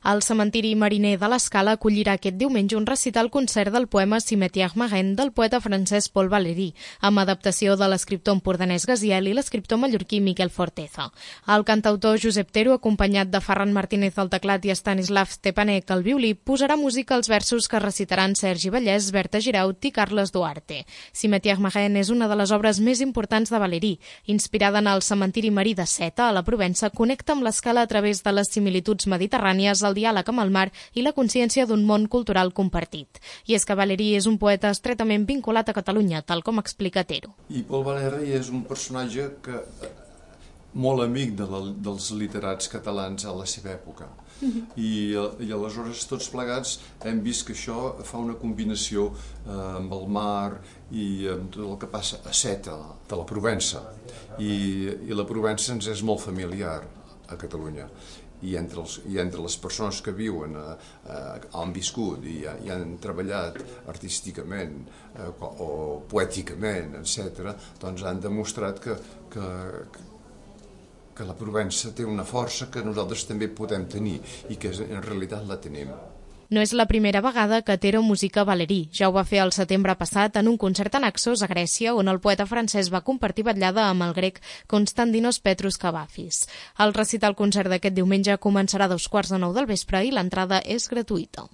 El cementiri mariner de l'Escala acollirà aquest diumenge un recital-concert del poema Cimetière Marin del poeta francès Paul Valéry, amb adaptació de l'escriptor empordanès Gaziel i l'escriptor mallorquí Miquel Forteza. El cantautor Josep Tero, acompanyat de Ferran Martínez al teclat i Stanislav Stepanek al violí, posarà música als versos que recitaran Sergi Vallès, Berta Giraut i Carles Duarte. Cimetière Marin és una de les obres més importants de Valéry. Inspirada en el cementiri marí de Seta, a la Provença, connecta amb l'Escala a través de les similituds mediterrànies, el diàleg amb el mar i la consciència d'un món cultural compartit. I és que Valéry és un poeta estretament vinculat a Catalunya, tal com explica Tero. I Paul Valéry és un personatge molt amic dels literats catalans a la seva època. I aleshores tots plegats hem vist que això fa una combinació amb el mar i amb tot el que passa a Seta, de la Provença. I la Provença ens és molt familiar a Catalunya. I entre les persones que viuen, han viscut i han treballat artísticament o poèticament, etc., doncs han demostrat que la Provença té una força que nosaltres també podem tenir i que en realitat la tenim. No és la primera vegada que Tero musica Valéry. Ja ho va fer el setembre passat en un concert a Naxos, a Grècia, on el poeta francès va compartir vetllada amb el grec Konstantinos Petrus Kavafis. El recital concert d'aquest diumenge començarà a 2:15 del vespre i l'entrada és gratuïta.